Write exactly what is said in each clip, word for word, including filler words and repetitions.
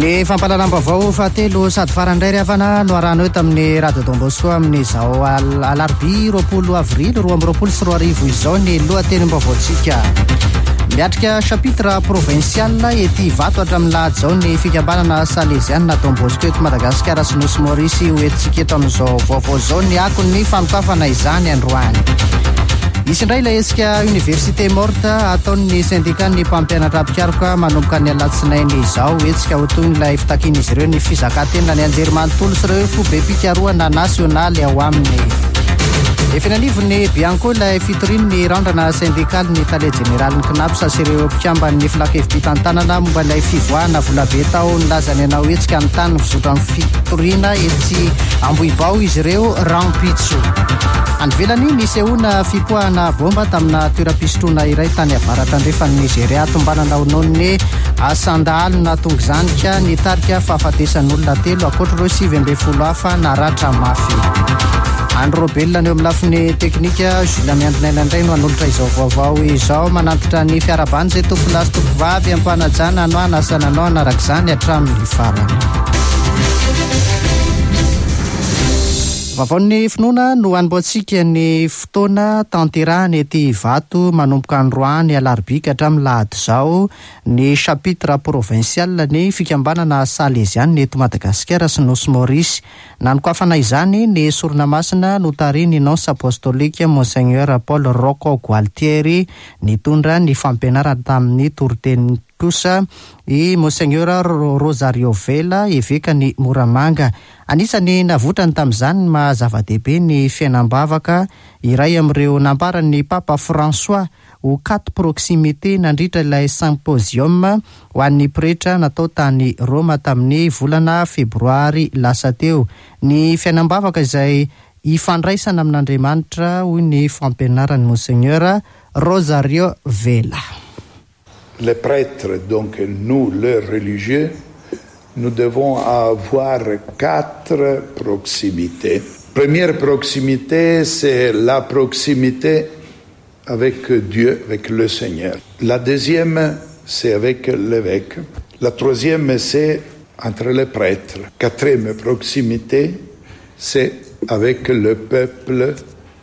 Ny fampahalalam-baovao fahatelo sady farany indray ry havana no arahanao eto amin'ny Radio Don Bosco amin'izao alarobia roapolo avrily roa amby roapolo sy roa arivo izao. Ny lohatenim-baovaontsika: miatrika chapitre provincial ety Ivato hatramin'ny lahady izao ny fikambanana salezianina Don Bosco eto Madagasikara sy Nosy Maorisy. Ho entintsika eto amin'izao vaovao izao ny akon'ny fanokafana izany androany. Misy indray ilay hetsika université morte ataon'ny syndicat-n'ny mpampianatra mpikaroka manomboka ny alatsinainy izao. Hetsika ho toy ilay fitakian'izy ireo ny fizakantena ny anjerimanontolo sy ireo foibem-pikarohana nasionaly ao aminy. Efa eny anivon'ny Bianco ilay fitorian'ny Randrana syndikaly ny tale jeneralin'ny CNaPS sy ireo mpikamban'ny filankevi-pitantanana momba ilay fivoahana volabe tao. Nilazany hanao hetsika ny tany mizotra amin'ny fitoriana etsy Ambohibao izy ireo rahampitso. Any ivelany, nisehoana fipoahana bomba tamina toeram-pisotroana iray tany avaratra andrefan'ny Nigeria, tombanana ho noho ny asan-dahalo nahatonga izany, ka nitarika fahafatesan'olona telo ankoatra ireo sivy amby folo hafa naratra mafy. Andro Robelona ny eo amin'ny lafiny teknika, Jules Miandrinaina indray no hanolotra izao vaovao izao. Manantitra ny fiarahabana izay tompolahy sy tompovavy am-panajana no anasana anao hanaraka izany hatramin'ny farany. Vaovaon'ny finoana no anombohantsika ny fotoana tanterahany ety Ivato manomboka androany alarobia ka hatramin'ny lahady izao ny chapitre provincial ny fikambanana salezianina eto Madagasikara sy Nosy Maorisy. Nanokafana izany ny sorona masina notarihin'ny nonce apostolique Monseigneur Paul Rocco Gualtieri. Nitondra ny fampianarana tamin'ny toriteny kosa i Monseigneur Rosario Vela, eveka ny Moramanga. Anisany navoitrany tamin'izany ny maha zava-dehibe ny fiainam-bavaka, iray amin'ireo nambaran'ny Papa François ho quatre proximité nandritra ilay symposium ho an'ny pretra natao tany Roma tamin'ny volana febroary lasa teo. Ny fiainam-bavaka izay ifandraisana amin'Andriamanitra, hoy ny fampianarany Monseigneur Rosario Vela. Les prêtres, donc nous, les religieux, nous devons avoir quatre proximités. Première proximité, c'est la proximité avec Dieu, avec le Seigneur. La deuxième, c'est avec l'évêque. La troisième, c'est entre les prêtres. Quatrième proximité, c'est avec le peuple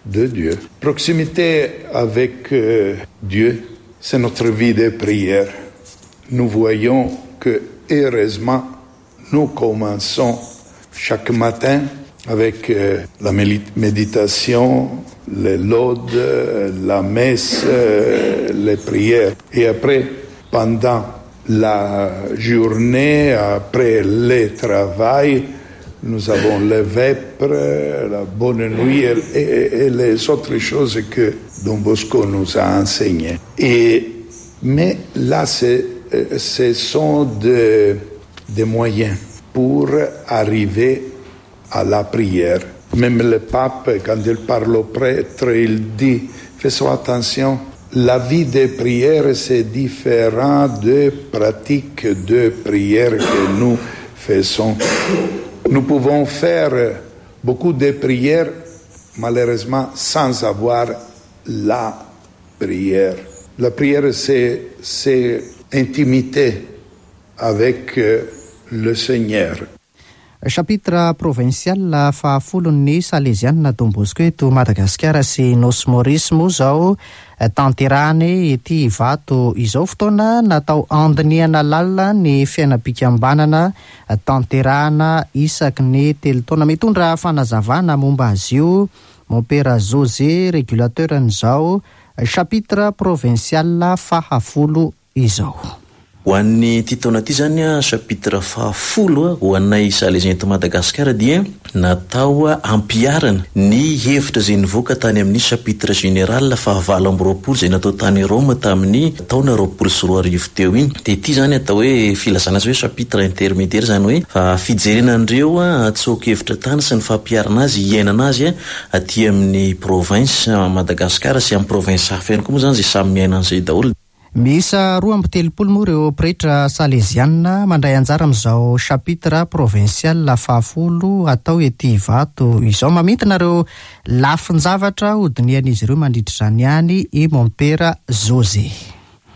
de Dieu. Proximité avec euh, Dieu, c'est notre vie de prière. Nous voyons que, heureusement, nous commençons chaque matin avec euh, la méditation, les laudes, la messe, euh, les prières. Et après, pendant la journée, après le travail, nous avons les vêpres, la bonne nuit et, et, et les autres choses que Don Bosco nous a enseignées. Et, mais là, c'est, ce sont des, des moyens pour arriver à la prière. Même le pape, quand il parle aux prêtres, il dit: faisons attention, la vie de prière, c'est différent de pratiques de prière que nous faisons. Nous pouvons faire beaucoup de prières, malheureusement, sans avoir la prière. La prière, c'est, c'est intimité avec le Seigneur. Chapitre provincial fahafolon'ny salezianina Don Bosco eto Madagasikara sy Nosy Maorisy moa zao tanterahany ety Ivato izao, fotoana natao andinihana lalina ny fiainam-pikambanana tanterahana isaky ny telo taona. Mitondra fanazavana momba azy io Mompera José, régulateur n'izao chapitre provincial fahafolo izao. Ho an'ny ty taona ty zany a, chapitre fahafolo a, ho anay salésien eto Madagasikara dia natao ampiharana ny hevitra zay nivoaka tany amin'ny chapitre général fahavalo amby roapolo zay natao tany Roma tamin'ny taona roapolo sy roa arivo teo iny. De ty zany atao hoe filazana azy hoe chapitre intermédiaire, zany hoe fijerena andreo a tsoa-kevitra tany sy ny fampiharana azy, iainana azy a aty amin'ny province Madagasikara sy amin'ny province hafa ihany koa moa zany zay samy miaina an'izay daholo. Miisa roa amby telopolo moa ireo pretra salezianina mandray anjara amin'izao chapitre provincial fahafolo atao ety Ivato izao. Mamintina ireo lafin-javatra hodinihan'izy ireo mandritra izany ihany i Mompera José.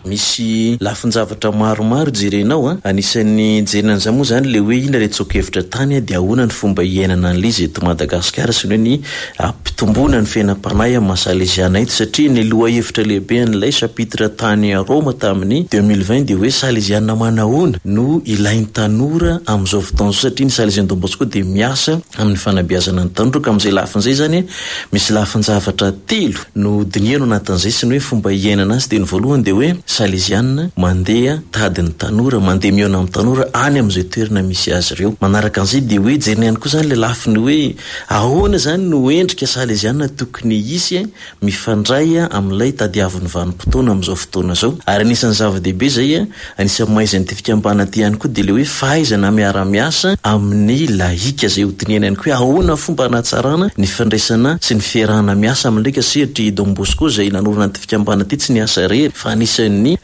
Misy lafin-javatra maromaro jerenao a. Anisan'ny jerena an'izany moa zany le hoe inona le tsoa-kevitra tany a, dia ahoana ny fomba iainana an'ilay izy eto Madagasikara sy ny hoe ny ampitomboana ny fiainam-panahy amin'ny maha Salesiana eto, satria ny lohahevitra lehibe an'ilay chapitre tany Roma tamin'ny deux mille vingt dia hoe Salesiana manahoana no ilain'ny tanora amin'izao fotoana izao, satria ny Salesiana Don Bosco dia miasa amin'ny fanabeazana ny tanora, ka amin'izay lafin'izay zany misy lafin-javatra telo no dinihana ao anatin'izay sy ny hoe fomba iainana azy. Dia ny voalohany dia hoe Salesiana mandeha tady ny tanora, mandeha mihaona amin'ny tanora any amin'izay toerana misy azy ireo. Manaraka an'izay dia hoe jerena ihany koa zany le lafiny hoe ahoana zany no endrika Salesiana tokony hisy mifandray amin'ilay tadiavin'ny vanim-potoana amin'izao fotoana izao. Ary anisan'ny zava-dehibe izay, anisan'ny mahaizan'ity fikambanana ity ihany koa dia le hoe fahaizana miara-miasa amin'ny lahika, izay hodinihana ihany koa hoe ahoana fomba hanatsarana ny fifandraisana sy ny fiarahana miasa amin'ny lahika, satria Don Bosco izay nanorina ity fikambanana ity tsy niasa irery fa anisan'ny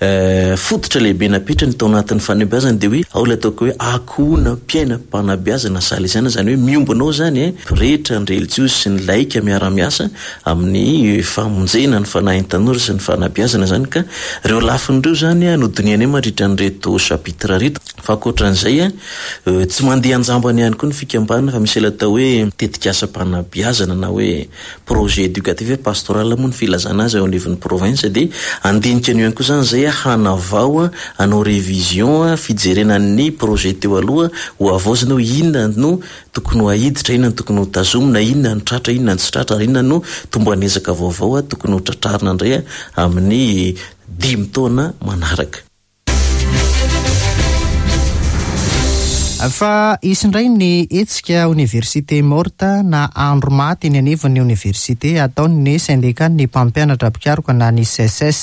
fototra lehibe napetrany tao anatin'ny fanabeazana dia hoe ao ilay ataoko hoe akohona mpiaina mpanabeazana Salesiana, izany hoe miombona ao zany pretra, ny relijiozy sy ny laika miara-miasa amin'ny famonjena ny fanahin'ny tanora sy ny fanabeazana zany. Ka ireo lafiny ireo zany no dinihanay mandritra an'ireto chapitre ireto. Fa ankoatran'izay tsy mandeha anjambany ihany koa ny fikambanana, fa misy ilay atao hoe tetikasam-panabeazana na hoe projet éducatif pastoral moa ny filazana azy ao anivon'ny province, dia andinika an'io ihany koa zany izay hanavao, hanao révision, fijerena ny projet teo aloha, ho havaozina hoe inona no tokony ho ahiditra, inona no tokony ho tazomina, inona no tratra, inona no tsy tratra, ary inona no tomban'ezaka vaovao tokony ho tratrarina indray amin'ny dimy taona manaraka. Fa hisy indray ny hetsika oniversite morta na andro maty eny anivon'ny oniversite ataon'ny sendikan'ny mpampianatra mpikaroka na ny C S S.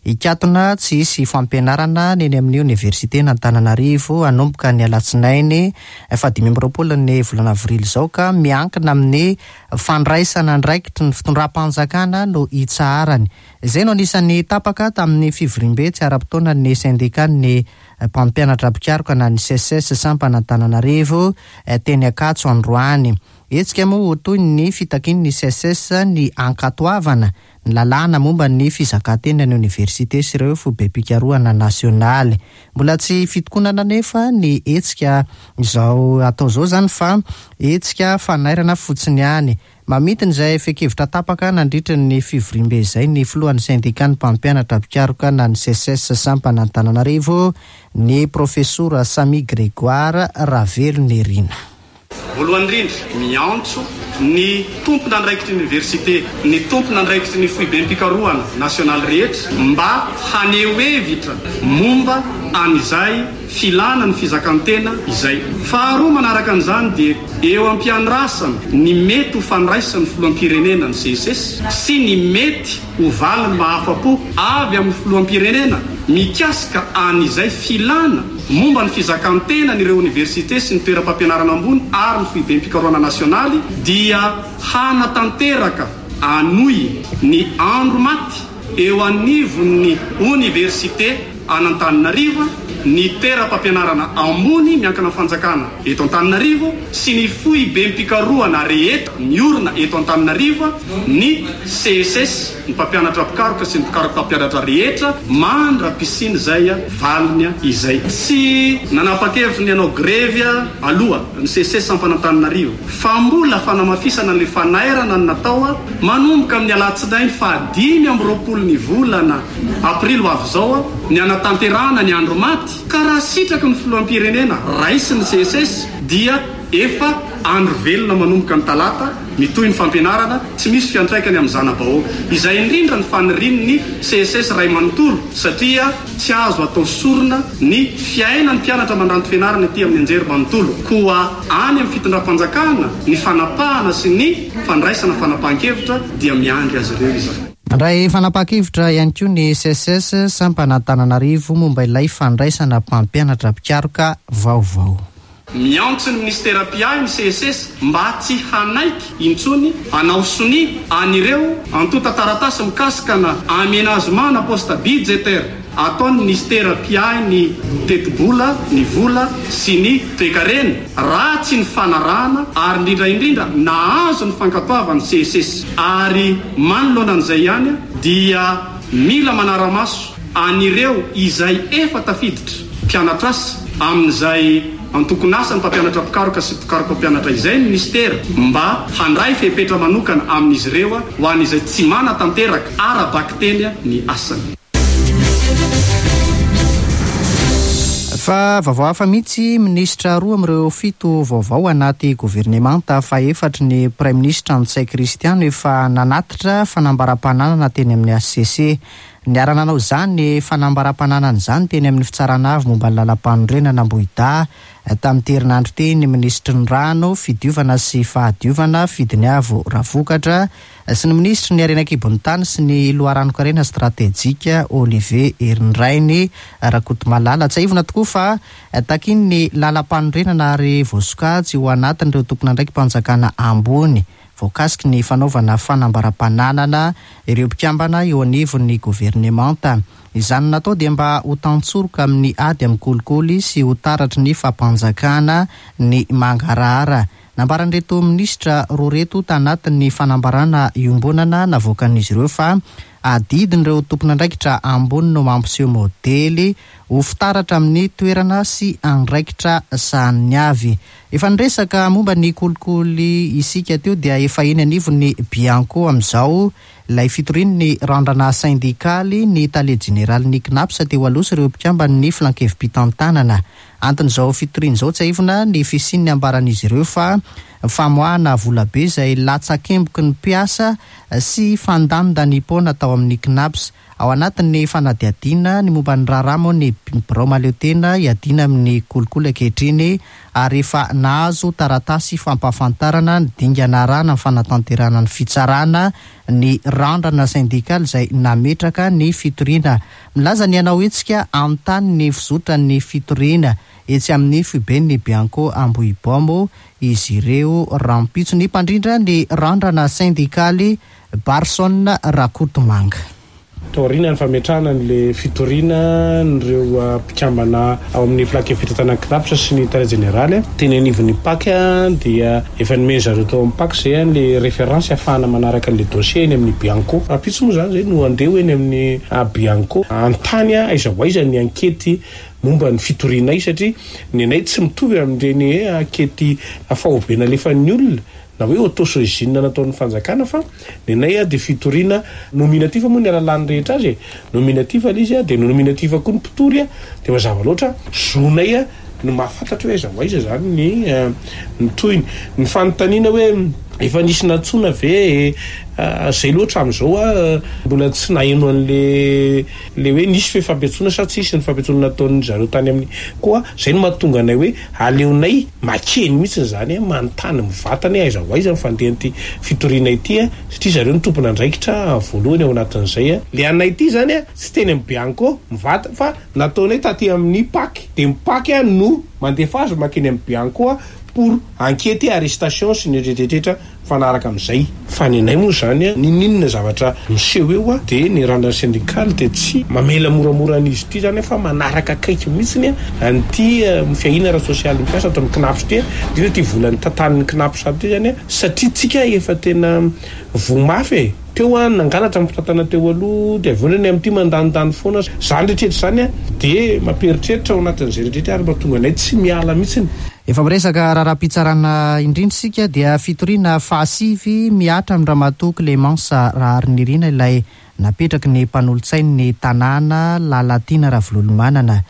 Hikatona tsy hisy fampianarana ny eny amin'ny oniversiten'Antananarivo hanomboka ny alatsinainy fahadimy amby roapolo ny volana avrily izao, ka miankina amin'ny fandraisana andraikitry ny fitondram-panjakana no hitsaharany. Izay no anisan'ny tapaka tamin'ny fivoriambe tsy ara-potoana ny sendikan'ny mpampianatra mpikaroka na ny C S S sampana Antananarivo teny Ankatso androany. Hetsika moa ho toy ny fitakian'ny C S S ny ankatoavana ny lalàna momba ny fizakan-tena ny oniversite sy ireo foibem-pikarohana nasionaly. Mbola tsy fitokonana nefa ny hetsika izao atao izao zany, fa hetsika fanairana fotsiny ihany. Mamintina izay fehi-kevitra tapaka nandritra ny fivoriambe izay ny filohan'ny sendikan'ny mpampianatra mpikaroka na ny C S S sampana Antananarivo, ny profesora Samy Grégoire Ravelonirina. Voalohany indrindra, miantso ny tompon'andraikitry ny oniversite, ny tompon'andraikitry ny foibem-pikarohana nasionaly rehetra mba haneho hevitra momba an'izay filana ny fizakan-tena izay. Faharoa manaraka an'izany dia eo am-piandrasana ny mety ho fandraisan'ny filoham-pirenena ny C S S sy ny mety ho valiny mahafa-po avy amin'ny filoham-pirenena mikasika an'izay filana momba ny fizakan-tena n'ireo oniversite sy ny toeram-pampianarana ambony ary ny foibem-pikarohana nasionaly, dia hanatanteraka anohy ny andro maty eo anivon'ny oniversite an'Antananarivo, ny toeram-pampianarana ambony miankina amin'ny fanjakana eto Antananarivo sy ny foibem-pikarohana rehetra miorina eto Antananarivo, ny C S S, ny mpampianatra mpikaroka sy ny mpikaroka mpampianatra rehetra, mandra-pisiana izay valiny izay. Tsy nanapa-kevitra ny hanao grevy aloha ny C S S sampana Antananarivo, fa mbola fanamafisana ny fanairana ny natao manomboka amin'ny alatsinainy fahadimy amby roapolo ny volana aprily ho avy izao ny hanatanterahana ny andro maty, ka raha sitraky ny filoham-pirenena raisin'ny C S S dia efa andro velona manomboka ny talata, mitohy ny fampianarana, tsy misy fiantraikany amin'ny zana-bahoaka. Izay indrindra ny fanirian'ny C S S ray manontolo, satria tsy azo atao sorona ny fiainan'ny mpianatra mandranto fianarana ety amin'ny anjery manontolo. Koa any amin'ny fitondram-panjakana ny fanapahana sy ny fandraisana fanapahan-kevitra dia miandry azy ireo izany. Nandray fanapahan-kevitra ihany koa ny C S S sampana Antananarivo momba ilay fandraisana mpampianatra mpikaroka vaovao. Miantso ny ministera mpiahy ny C S S mba tsy hanaiky intsony hanao sonia an'ireo antontan-taratasy mikasika na aménagement na poste budgétaire ataon'ny ministera mpiahy ny tetibola, ny vola sy ny toekarena, raha tsy ny fanarahana ary indrindra indrindra nahazo ny fankatoavan'ny C S S. Ary manoloana an'izay ihany dia mila manara-maso an'ireo izay efa tafiditra mpianatra asa amin'izay antokon'asa ny mpampianatra mpikaroka sy mpikaroka mpampianatra izay ny ministera mba handray fepetra manokana amin'izy ireo ho an'izay tsy manatanteraka ara-bakiteny ny asany. Fa vaovao hafa mihitsy, minisitra roa amin'ireo fito vaovao anaty governemanta fahefatry ny praiminisitra Ntsay Christian efa nanatitra fanambaram-pananana teny amin'ny H C C. Niara-nanao izany fanambaram-pananana izany teny amin'ny fitsarana avo momba ny lalam-panorenana Ambohidahy tamin'ny herinandro teny minisitry ny rano, fidiovana sy fahadiovana Fidiniavo Ravokatra sy ny minisitry ny harena an-kibon'ny tany sy ny loharanon-karena stratejika Olivier Herindrainy Rakotomalala. Tsiahivina tokoa fa takian'ny lalam-panorenana ary voasokajy ho anatin'ireo tompon'andraiki-panjakana ambony voakasiky ny fanaovana fanambaram-pananana ireo mpikambana eo anivon'ny governemanta. Izany natao dia mba ho tantsoroka amin'ny ady amin'ny kolikoly sy ho taratry ny fampanjakana ny mangarahara. Nambaran'ireto minisitra roa reto tanatin'ny fanambarana iombonana navoakan'izy ireo fa adidin'ireo tompon'andraikitra ambony no mampiseho modely ho fitaratra amin'ny toerana sy andraikitra sahaniny avy. Efa niresaka momba ny kolikoly isika teo dia efa eny anivon'ny Bianco amin'izao ilay fitorian'ny randrana sindikaly ny tale jeneralin'ny C N A P S teo aloha sy ireo mpikamban'ny filankevi-pitantanana. Anton'izao fitoriana izao tsiahivina ny fisian'ny ambaran'izy ireo fa famoahana volabe izay latsakemboky ny mpiasa sy fandanindanipoana tao amin'ny C N A P S. Ao anatin'ny fanadihadiana ny momba ny raharaha moa ny birao mahaleotena hiadiana amin'ny kolikoly ankehitriny ary efa nahazo taratasy fampahafantarana ny dingana arahana ny fanatanterahana ny fitsarana ny randrana sindikaly izay nametraka ny fitoriana. Milaza ny hanao hetsika anontany ny fizotran'ny fitoriana etsy amin'ny foiben'ny Bianco Ambohibao izy ireo rahampitso. Ny mpandrindra ny randrana sindikaly Barson Rakotomanga. Taoriana ny fametrahana an'ilay fitoriana n'ireo mpikambana ao amin'ny filankevi-pitantanana C N A P S sy ny tale jeneraly teny anivon'ny P A C dia efa nomeny zareo tao amin'ny P A C izay an'ilay référence ahafahana manaraka an'ilay dossier eny amin'ny Bianco. Rahampitso moa izany izay no andeha eny amin'ny Bianco anontany aiza ho aiza ny ankety momba ny fitorianay satria ny anay tsy mitovy amin'ireny ankety faobe nalefan'ny olona na hoe autosaisine nataon'ny fanjakana fa ny anay dia fitoriana nominatif moa ny alalàn'ny rehetra azy e. Nominatif ilay izy dia nominatif koa ny mpitory dia mazava loatra zonay no mahafantatra hoe aiza ho aiza izany ny ny tohiny. Ny fanontaniana hoe efa nisy nantsoina ve izay loatra amin'izao mbola tsy naheno an'le le hoe nisy fe fampiantsoana sa tsisy ny fampiantsoana nataon'ny zareo tany amin'ny koa izay no mahatonga anay hoe aleonay makeny mihitsy izany manontany mivantana aiza ho aiza ny fandehan'ity fitoriana ity satria zareo no tompon'andraikitra voalohany ao anatin'izay. Le anay ity izany tsy teny amin'ny Bianco mivantana fa nataonay taty amin'ny P A C dia ny P A C no mandefa azy makeny amin'ny Bianco pour enquête arrestation sy ny rehetrarehetra mifanaraka amin'izay. Fa ny anay moa izany n'inon'inona zavatra miseho eo dia ny randrana sindikaly dia tsy mamela moramora an'izy ity izany fa manaraka akaiky mihitsy an'ity fiahiana ara-sosialy mpiasa ato amin'ny C N A P S ity, indrindra ity volan'ny tantanin'ny C N A P S ity izany satria tsika efa tena voa mafy e. Teo nangalatra ny mpitantana teo aloha dia avy eo ny amin'ity mandanindany foana. Izany rehetrarehetra izany dia mampieritreritra ao anatin'izay rehetrarehetra ary mahatonga anay tsy miala mihitsy. Efa miresaka raharaham-pitsarana indrindra isika dia fitoriana fahasivy mihatra amin'ny Ramatoa Clémence Raharinirina ilay napetraky ny mpanolotsain'ny tanàna Lalatiana Ravololomanana.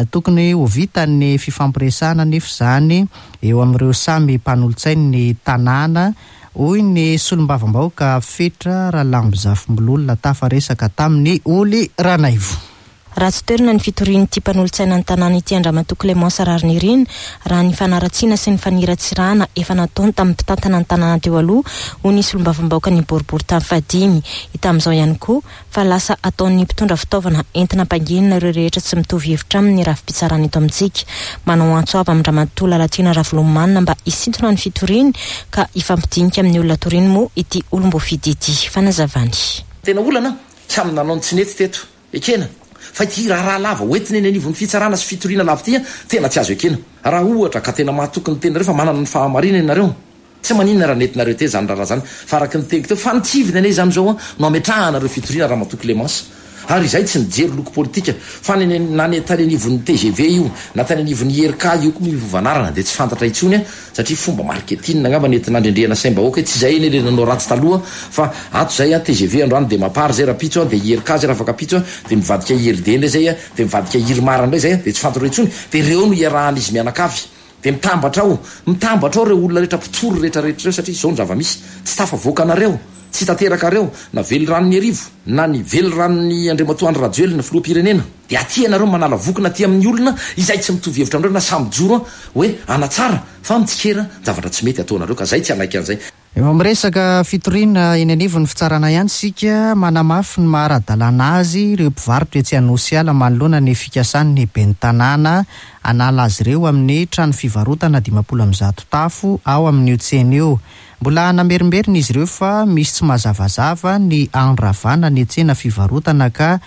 Tokony ho vita ny fifampiresahana nefa izany eo amin'ireo samy mpanolotsain'ny tanàna hoy ny solombavambahoaka Fetra Ralambozafimbololona tafaresaka tamin'ny Oly Ranaivo. Raha tsy toerana ny fitorian'ity mpanolotsaina ny tanàna ity Andriamatoa Clémence Raharinirina raha ny fanaratsiana sy ny faniratsirana efa nataony tamin'ny mpitantana ny tanàna teo aloha hoy ny solombavambahoaka ny boribory tany fahadimy. Hita amin'izao ihany koa fa lasa ataon'ny mpitondra fitaovana entina ampanginina ireo rehetra tsy mitovy hevitra amin'ny rafi-pitsarana eto amintsika. Manao antso avo amin-dRamatoa Lalatiana Ravololomanana mba hisintona ny fitoriany ka hifampidinika amin'ny olona toriany moa ity olom-boafidy ity. Fanazavany. Tena olana samy nanao ny tsy nety teto ekena fa ity raharaha lava hoentina eny anivon'ny fitsarana sy fitoriana lava ity tena tsy azo ekena. Raha ohatra ka tena mahatoky ny tenareo fa manana ny fahamarinana ianareo tsy maninona raha nentinareo teo izany raharaha izany fa araka ny teniko teo fa nitsivina anie izany izao no ametrahanareo fitoriana Ramatoa Clémence. Ary izay tsy nijery loko politika fa ny na ny tany anivon'ny T G V io na tany anivon'ny I R K io koa miova anarana, dia tsy fantatra intsony a, satria fomba marketing angamba ny entina andrendrehana saim-bahoaka. Tsy zay eny le nanao ratsy taloha fa ato zay a T G V androany, dia MAPAR zay rapitso a, dia I R K zay raha afaka pitso a, dia mivadika I R D ndray zay a, dia mivadika IRMAR ndray zay a, dia tsy fantatra intsony. Dia reo no iarahan'izy mianakavy, dia mitambatra ao, mitambatra ao reo olona rehetra, mpitory rehetrarehetra reo, satria zao ny zava-misy: tsy tafavoaka anareo, tsy tanteraka reo na veliranony arivo na ny veliranony Andriamatoa Andry Rajoelina filoham-pirenena. Dia aty ianareo manala vokona aty amin'ny olona izay tsy mitovy hevitra amindreo na samy joro a hoe anatsara fa mitsikera zavatra tsy mety ataonareo, ka zay tsy anaiky an'izay. Efa miresaka fitoriana eny anivon'ny fitsarana ihany sika. Manamafy ny maha-ara-dalàna azy ireo mpivarotra etsy Anosiala manoloana ny fikasan'ny ben'ny tanàna anala azy ireo amin'ny trano fivarotana dimampolo am'zato tafo ao amin'io tsena io. Mbola namerimberina izy ireo fa misy tsy mazavazava ny andravana ny tsena fivarotana, ka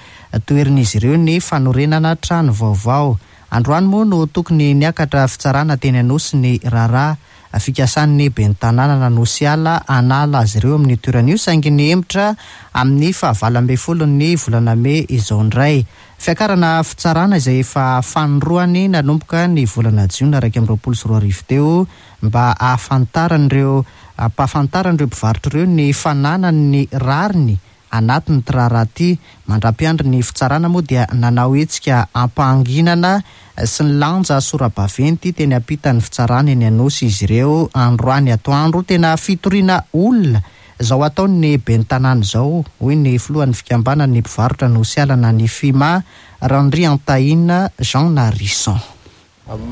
toherin'izy ireo ny fanorenana trano vaovao. Androany moa no tokony niakatra fitsarana teny Anosy ny raharaha fikasan'ny ben'ny tanàna Anosiala anala azy ireo amin'ny toerana io, saingy nihemotra amin'ny fahavalo ambe folo ny volana mey izao indray. Fiakarana fitsarana izay efa fanindroany nanomboka ny volana jiona raiky amby roapolo sy roa arivo teo, mba ahafantaran'ireo ampahafantaran'ireo mpivarotra ireo ny fananany ny rariny anatin'ny ty raharaha ty. Mandra-piandry ny fitsarana moa dia nanao hetsika ampanginana sy ny lanja sora-baventy teny ampitan'ny fitsarana eny Anosy izy ireo androany atoandro. Tena fitoriana olona zao ataony ben'ny tanàna izao, hoy ny filohan'ny fikambanany mpivarotra Anosiala na ny FIMA, Randriantahina Jean Narison.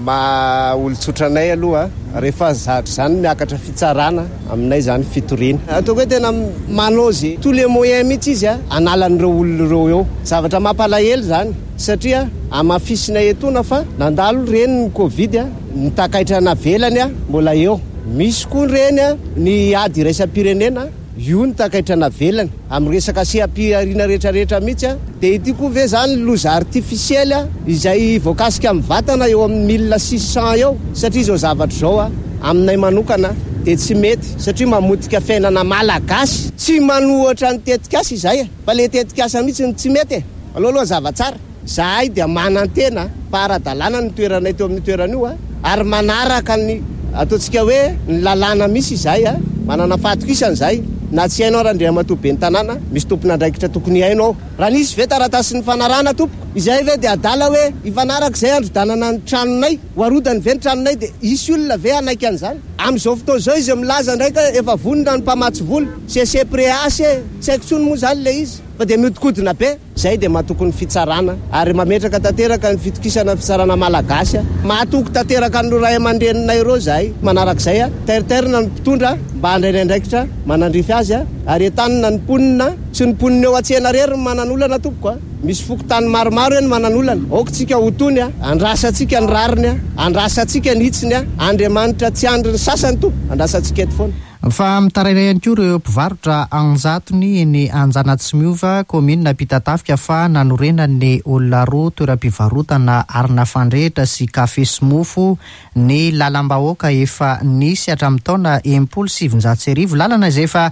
Ma olon-tsotra anay aloha, rehefa zatra zany miakatra fitsarana, aminay zany fitoriana ataoko hoe tena manao zay tous les moyens mihitsy izy a analan'ireo olona ireo eo. Zavatra mampalahelo zany, satria amafisina etona fa nandalo reny ny Covid a, ny takaitra navelany a mbola eo, misy koa reny a ny ady iraisam-pirenena io, ny takaitra navelany amin'ny resaka seha-pihariana rehetrarehetra mihitsy a. Dia ity koa ve zany loza artificiel a izay voakasika amin'ny vatana eo amin'ny mille six cent eo? Satria zao zavatra zao a aminay manokana dia tsy mety, satria mamotika fiainana malagasy. Tsy manohitra ny tetikasa izay e, fa le tetikasa mihitsy ny tsy mety e. Aloha aloha zava-tsara zahay dia manantena fa ara-dalàna ny toeranay teo amin'ny toerana io a, ary manaraka ny ataontsika hoe ny lalàna misy izay a, manana fahatokisana zay. Na tsy hainao raha Andriamatoa ben'ny tanàna, misy tompona andraikitra tokony hainao ao. Raha nisy ve taratasy ny fanarahana tompoko izay ve dia adala hoe ifanaraka izay androdanana ny tranonay, ho arodany ve ny tranonay? Dia isy olona ve anaiky an'izany amin'izao fotoana izao? Izy milaza ndraika efa vonona ny mpamatsy vola C C P R A C, tsy haiko tsony moa zany le izy fa dia miodikodina be zay. Dia mahatoky ny fitsarana ary mametraka tanteraka ny fitokisana ny fitsarana malagasy a, mahatoky tanteraka ny ray aman-dreninay ireo zahay. Manarak'izay a, teriterina ny mpitondra mba handray ny andraikitra manandrify azy a, ary entanina ny mponina. Tsy ny mponina eo an-tsena rery ny manan'olana tompoko a, misy fokontany maromaro eny manan'olana. Aoka tsika ho tony a, andrasantsika ny rariny a, andrasantsika ny hitsiny a. Andriamanitra tsy andry ny sasany tompo, andrasantsika eto foana. Fa mitaraina ihany koa ireo mpivarotra anjatony eny Anjanatsimiova, kaominina Ampitatafika, fa nanorenany olona roa toeram-pivarotana arina fandrehitra sy kafe sy mofo ny lalam-bahoaka efa nisy hatramin'ny taona enimpolo sivinjato sy arivo, lalana izay efa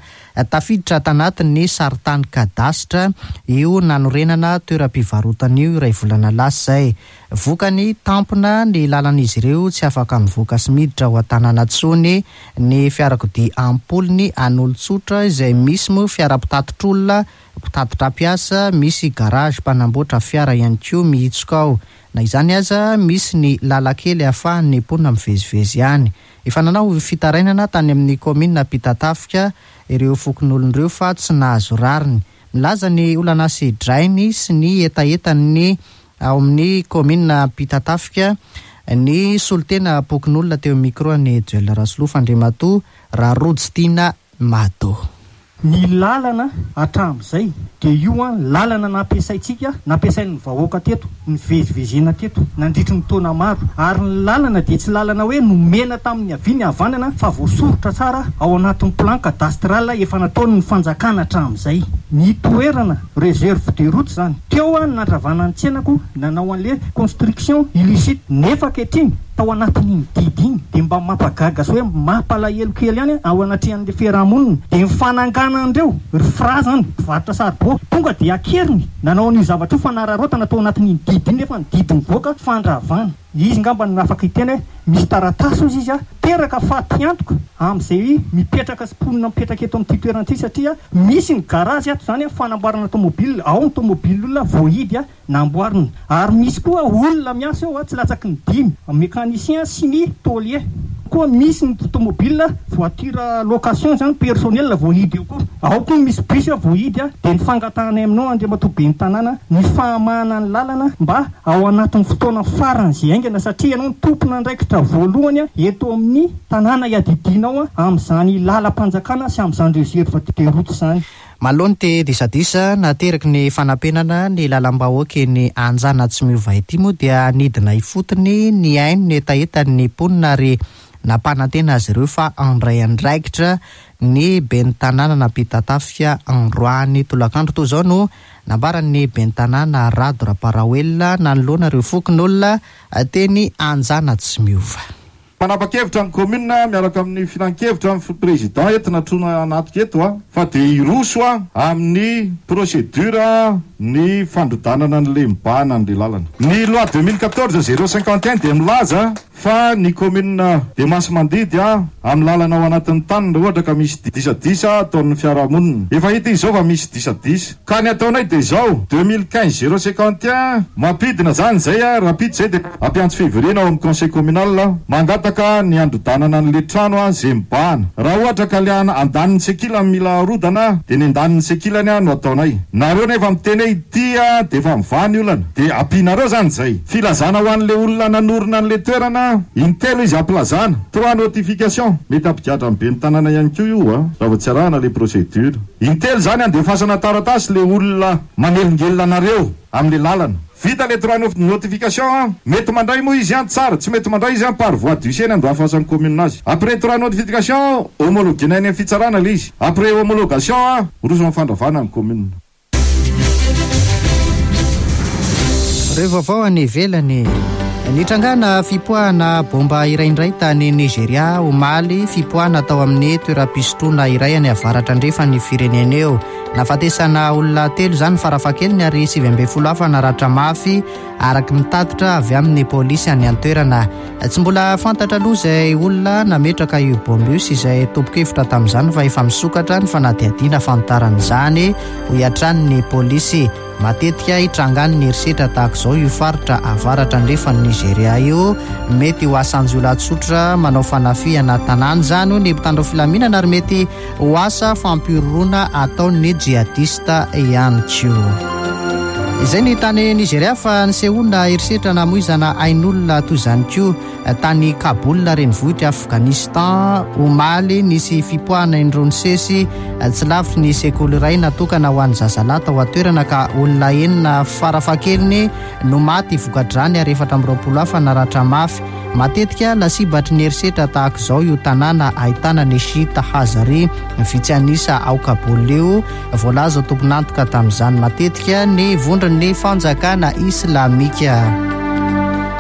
tafiditra tanatin'ny sarintany kadasitra io nanorenana toeram-pivarotana io iray volana lasa zay. Vokany, tampona ny lalan'izy ireo, tsy afaka mivoaka sy miditra ao an-tanàna tsony ny fiarakodia ampolony an'olon-tsotra, izay misy moa fiara mpitatitr'olona, mpitatitra mpiasa, misy garage mpanamboatra fiara ihany koa mihitsoka ao. Na izany aza, misy ny lalakely ahafahan'ny mponina mivezivezy ihany. Efa nanao fitarainana tany amin'ny kaominina Ampitatafika ireo fokonolon'ireo fa tsy nahazo rariny. Milaza ny olana sedrainy sy ny hetahetany ao amin'ny kaominina Ampitatafika ny solontena pokonolona teo micro ny Duel Rasolofa, Andriamatoa Raha Rojo Tiana Mado. Ny lalana hatramin'izay dia io a lalana nampiasaintsika, nampiasain'ny vahoaka teto, ny vezivezena teto nandritry ny taona maro. Ary ny lalana dia tsy lalana hoe nomena tamin'ny avia ny havanana, fa voasoritra tsara ao anatin'ny plan cadastral efa nataony ny fanjakana hatramin'izay ny toerana réserve de route zany. Teo a nandravana ny tsenako, nanao an'le construction illicite, nefa ankehitriny tao anatin'iny didy iny dia mba mampagaga sy hoe mampalahelo kely ihany ao anatrehan'ilay fiarahamonina. Dia ny fananganan'ireo ry Fra zany mpivarotra saribao tonga dia akeriny nanao an'io zavatra io fanararaotana tao anatin'iny didy iny, nefa ny didy mivoaka fandravana. Izy ngamba no afaka hiteny hoe misy taratasy ozy izy a, teraka fatiantoka amin'izay mipetraka sy mponina mipetraka eto amin'ity toerana ity, satria misy ny garazy ato zany a, fanamboarana tomobile, ao ny tomobile olona voahidy a namboarina, ary misy koa olona miasa eo a, tsy latsaky ny dimy, mécanicien sy ny tôlier. Koa misy ny tomobile voiture location zany personnel voahidy eo koa, ao koa misy bus voahidy a. Dia ny fangatahana aminao Andriamatoa Ben'ny Tanàna ny fahamahana ny lalana mba ao anatin'ny fotoana farany izay haingana, satria ianao no tompon'andraikitra voalohany eto amin'ny tanàna iadidianao amin'izany lalam-panjakana sy amin'izany réserve de route izany. Manoloana ity disadisa nateraky ny fanampenana ny lalam-bahoaka eny Anjanatsimiova ity moa dia nidina ifotony ny haino ny hetahetan'ny mponina ary nampanantena azy ireo fa handray andraikitra ny ben'ny tanàna nampitatafika androany tolakandro. Toy izao no nambaran'ny ben'ny tanàna Rado Ramparaoelina nanoloana ireo fokonolona teny Anjanatsimiova. Manapa-kevitra ny commune miaraka amin'ny filan-kevitra amin'ny président entina trona anatika eto a, fa dia hiroso a amin'ny procédure ny fandrodanana ny lemibahana ny lalana. Ny loi deux mille quatorze zéro cinquante et un dia milaza fa ny commune de Masimandidy a amin'ny lalana ao anatin'ny tany raha ohatra ka misy disadisa ataon'ny fiarahamonina. Efa hita izy izao fa misy disadisa. Ka ny ataonay dia izao deux mille quinze zéro cinquante et un mampidina zany zay a, rapide zay dia ampiantso fivoriana ao amin'ny conseil communal mangataka ny androdanana an'le trano a zay mibahana. Raha ohatra ka le andanin'ny sekilany mila arodana dia ny andanin'ny sekilany a no ataonay. Nareo nefa miteny hoe ity a dia efa mivaha ny olana dia ampianareo zany zay. Filazana ho an'le olona nanorina an'le toerana intelo izy ampilazana, trois notification mety ampigadra amin'ny ben'ny tanàna ihany koa io a raha vao tsy arahana le procédure. Intelo zany andefasana taratasy le olona manelingelina anareo amin'le lalana. Vita le trois notification a, mety mandray moa izy any tsara, tsy mety mandray izy any par voie d'huissier ny andoafasan'ny commune azy. Après trois notification homologuena any amin'ny fitsarana le izy. Après homologation a, roso amin'ny fandravana ny commune. Ireo vaovao any ivelany. Nitrangana fipoahana bomba iray indray tany Nigeria omaly, fipoahana tao amin'ny toeram-pisotroana iray any avaratra andrefan'ny firenena eo. Nahafatesana olona telo izany farafahakeliny ary sivy ambin'ny folo hafa naratra mafy araka ny tatitra avy amin'ny polisy any an-toerana. Tsy mbola fantatra aloha izay olona nametraka io bomba io sy izay tompon-kevitra tamin'izany fa efa misokatra ny fanadihadiana fantaran'izany, hoy hatrany ny polisy. Matetika hitrangany ny herisetra tahaka izao io faritra avaratra andrefan'ny Nigeria io. Mety ho asan-jiolahy tsotra manao fanafihana tanàna izany hoy ny mpitandro filaminana ary mety ho asa fampihorohoroana ataon'ny jihadista ihany koa. Izay ny tany Nigeria fa nisehoana herisetra namoizana ain'olona toy izany koa tany Kaboul renivohitra Afghanistan omaly. Nisy fipoahana indroa nisesy tsy lavitry ny sekoly iray natokana ho an'ny zazalahy tao an-toerana ka olona enina farafahakeliny no maty vokadrany ary efatra amby roapolo hafa naratra mafy. Matetika lasibatry ny herisetra tahaka izao io tanàna ahitana ny Shiita Hazari vitsy an'isa ao Kaboul io. Voalaza ho tompon'antoka tamin'izany matetika ny vondron'ny fanjakana islamika.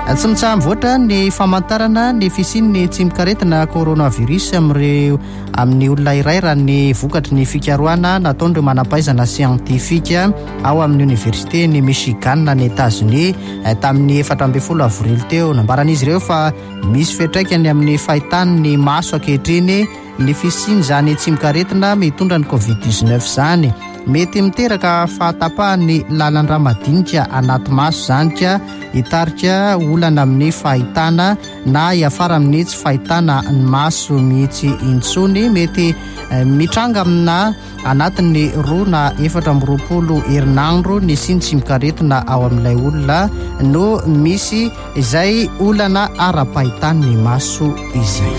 Tsy mitsaha-mivoatra ny famantarana ny fisian'ny tsimokaretina coronavirus amin'ireo amin'ny olona iray raha ny vokatry ny fikarohana nataon'ireo manam-pahaizana siantifika ao amin'ny oniversite ny Michigan any Etazonia tamin'ny efatra ambin'ny folo avrily teo. Nambaran'izy ireo fa misy fiantraikany amin'ny fahitan'ny maso ankehitriny ny fisian'izany tsimokaretina mitondra ny covid dix-neuf izany. Mety miteraka fahatapahan'ny lalan-drà madinika anaty maso izany ka hitarika olana amin'ny fahitana na hiafara amin'ny tsy fahitana ny maso mihitsy intsony. Mety mitranga amina anatin'ny roa na efatra amby roapolo herinandro ny siny tsimokaretina ao amin'ilay olona no misy izay olana ara-pahitan'ny maso izay.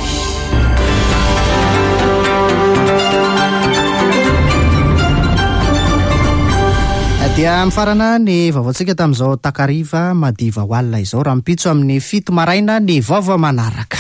Dia mifarana ny vaovaontsika tamin'izao takariva madiva ho alina izao. Rahampitso amin'ny fito maraina ny vaovao manaraka.